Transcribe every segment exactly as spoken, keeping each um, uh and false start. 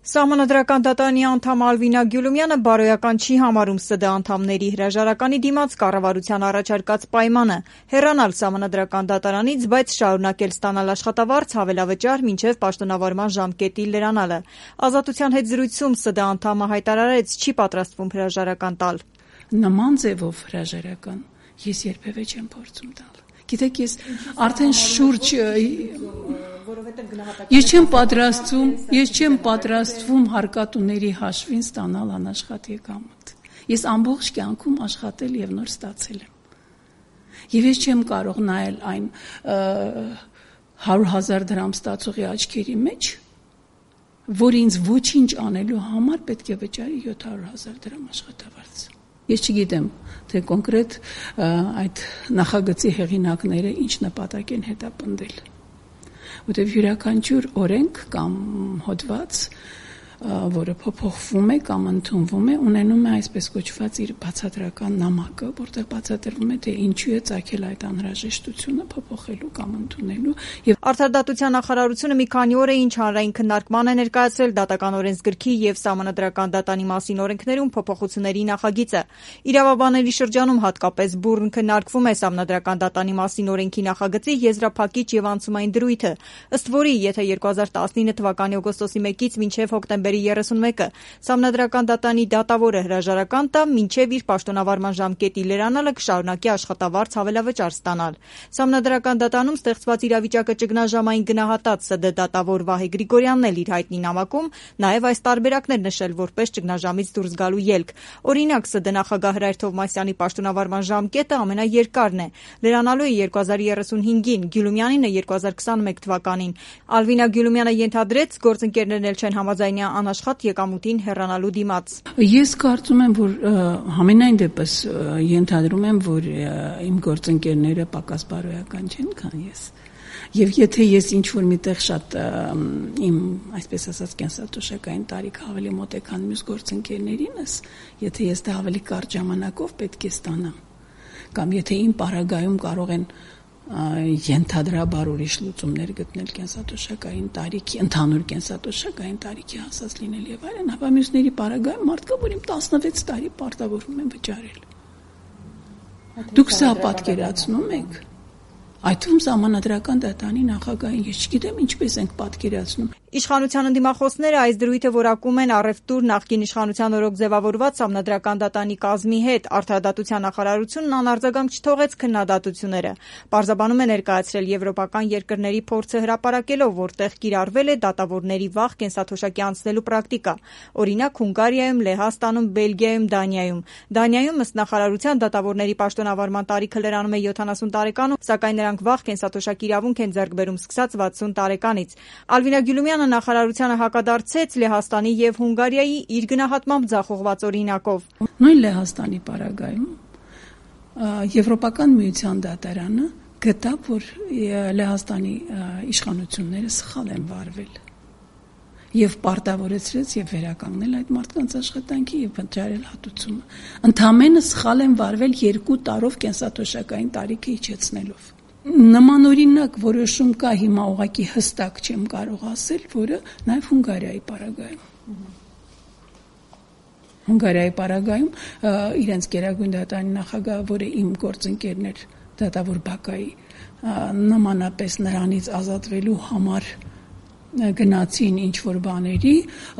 Սահմանադրական դատարանի անդամ Ալվինա Գյուլումյանը բարոյական չի համարում ՍԴ անդամների հրաժարականի դիմաց կառավարության առաջարկած պայմանը՝ հեռանալ Սահմանադրական դատարանից, բայց շարունակել ստանալ աշխատավարձ հավելավճար մինչև պաշտոնավարման ժամկետի լրանալը։ Ազատության հետ զրույցում ՍԴ անդամը հայտարարեց՝ չի պատրաստվում հրաժարական տալ։ Նման ձևով հրաժարական ես երբևէ չեմ փորձում տալ։ Գիտեք, ես արդեն շուրջ Ես չեմ պատրաստվում, ես չեմ պատրաստվում հարկատուների հաշվին ստանալ անաշխատ եկամուտ։ Ես ամբողջ կյանքում աշխատել եւ նոր ստացել եմ։ Եվ ես չեմ կարող նայել այն հարյուր հազար դրամ ստացողի աչքերի մեջ, որ ինձ ոչինչ անելու համար պետք է վճարի յոթ հարյուր հազար դրամ աշխատավարձ։ Ես չգիտեմ, թե կոնկրետ այդ նախագծի հեղինակները ինչ նպատակ են հետապնդել։ Որտեւ յուրաքանչյուր օրենք կամ հոդված, որը փոփոխվում է կամ ընդունվում է, ունենում է այսպես կոչված իր բացատրական նամակը, որտեղ բացատրվում է, թե ինչու է ծագել այդ անհրաժեշտությունը փոփոխելու կամ ընդունելու։ Եվ Արդարադատության նախարարությունը մի քանի օր է ինչ հանրային քննարկման է ներկայացրել Դատական օրենսգրքի եւ Սահմանադրական դատարանի մասին օրենքներում փոփոխությունների նախագիծը։ Իրավաբանների շրջանում հատկապես բուռն քննարկվում է Սահմանադրական դատարանի մասին օրենքի նախագծի եզրափակիչ եւ անցումային դրույթը, ըստ որի, եթե երկու հազար տասնինը թվականի օգոստոսի մեկից մինչև հոկտեմբերի երեսունմեկը Սահմանադրական դատարանի դատավորը հրաժարական տա, մինչև իր պաշտոնավարման ժամկետի լրանալը կշարունակի աշխատավարձ հավելավճար ստանալ։ Սահմանադրական դատարանում ստեղծված իրավիճակը ճգնաժամային գնահատած ՍԴ դատավոր Վահե Գրիգորյանն էլ իր հայտնի նամակում նաև այս տարբերակներ նշել որպես ճգնաժամից դուրս գալու ելք։ Օրինակ, ՍԴ նախագահ Հրայր Թովմասյանի պաշտոնավարման ժամկետը ամենաերկարն է։ Լրանալու է երկու հազար երեսունհինգին, Գյուլումյանինը երկու հազար քսանմեկ թվականին։ Ալվինա Գյուլումյանը ենթադրեց, գործընկերներն էլ չեն համաձայնյա անաշխատ եկամուտին հեռանալու դիմաց։ Ես կարծում եմ, որ համենայն դեպս ենթադրում եմ, որ իմ գործընկերները պակաս բարոյական չեն, քան ես։ Եվ եթե ես ինչ-որ միտեղ շատ իմ, այսպես ասած, կենսաթոշակային տարիք ավելի մոտ է, քան մյուս գործընկերներինս, եթե ես դա ավելի կարճ ժամանակով պետք է ստանամ, կամ եթե իմ պարագայում կարող են ենթադրաբար ուրիշ լուծումներ գտնել կենսաթոշակային տարիքի, ընդհանուր կենսաթոշակային տարիքի հասած լինել եւ այլն, ապա մյուսների պարագայում մարդկա, որ իմ տասնվեց տարի պարտավորվում են վճարել։ Դուք սա պատկերացնում եք։ Այդ թվում Սահմանադրական դատարանի նախագահին ես չգիտեմ ինչպես ենք պատկերացնում։ Իշխանության ընդդիմախոսները այս դրույթը որակում են առևտուր նախկին իշխանության օրոք ձևավորված Սահմանադրական դատարանի կազմի հետ։ Արդարադատության նախարարությունն անարձագանք չթողեց քննադատությունները։ Պարզաբանում է ներկայացրել եվրոպական երկրների փորձը հրապարակելով, որտեղ կիրառվել է դատավորների վաղ կենսաթոշակի անցնելու պրակտիկա։ Օրինակ Հունգարիայում, Լեհաստանում, Բելգիայում, Դանիայում։ Դանիայում ըստ նախարարության դատավորների պաշտոնավարման տարիքը լրանում է յոթանասուն տարեկանում, սակայն նրանք վաղ կենսաթոշակի իրավունք են ձեռք բերում սկսած վաթսուն տարեկանից։ Ալվինա Գյուլումյանը նախարարությանը հակադարձեց Լեհաստանի եւ Հունգարիայի իր գնահատմամբ ձախողված օրինակով։ Նույն Լեհաստանի պարագայում Եվրոպական միության դատարանը գտավ, որ Լեհաստանի իշխանությունները սխալ են վարվել եւ պարտավորեցրեց եւ վերականգնել այդ մարդկանց աշխատանքի եւ վճարել հատուցումը։ Ընդամենը սխալ են վարվել երկու տարով կենսաթոշակային տարիքը իջեցնելով։ Նմանօրինակ որոշում կա հիմա ուղղակի հստակ չեմ կարող ասել, որը նաև Հունգարիայի պարագայում։ Հունգարիայի պարագայում իրենց գերագույն դատարանի նախագահը, որը իմ գործընկերներ դատավոր Բակայի, նմանապես նրանից ազատվելու համար գնացին ինչ-որ բաների,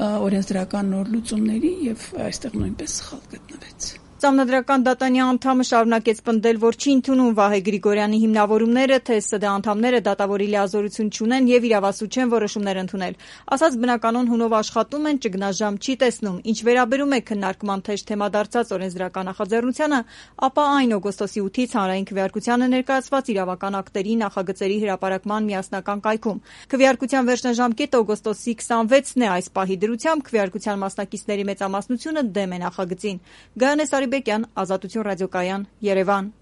օրենսդրական նոր լուծումների եւ այստեղ նույնպես սխալ գտնվեց։ Սահմանադրական դատարանի անդամը շարունակեց պնդել, որ չի ընդունում Վահե Գրիգորյանի հիմնավորումները, թե ՍԴ անդամները դատավորի լիազորություն չունեն եւ իրավասու չեն որոշումներ ընդունել։ Ասած բնականon հունով աշխատում են, ճգնաժամ չի տեսնում։ Ինչ վերաբերում է քննարկման թեժ թեմա դարձած օրենսդրական նախաձեռնությանը, ապա այն օգոստոսի ութից հանրային քվեարկությանը ներկայացված իրավական ակտերի նախագծերի հրապարակման միասնական կայքում։ Քվեարկության վերջնաժամկետը օգոստոսի քսանվեցն է։ Այս պահի դրությամբ քվեարկության մասնակիցների մեծամասնությունը դեմ է նախագծին։ Գայանե Սարիբեկյան, Ազատություն ռադիոկայան, Երևան։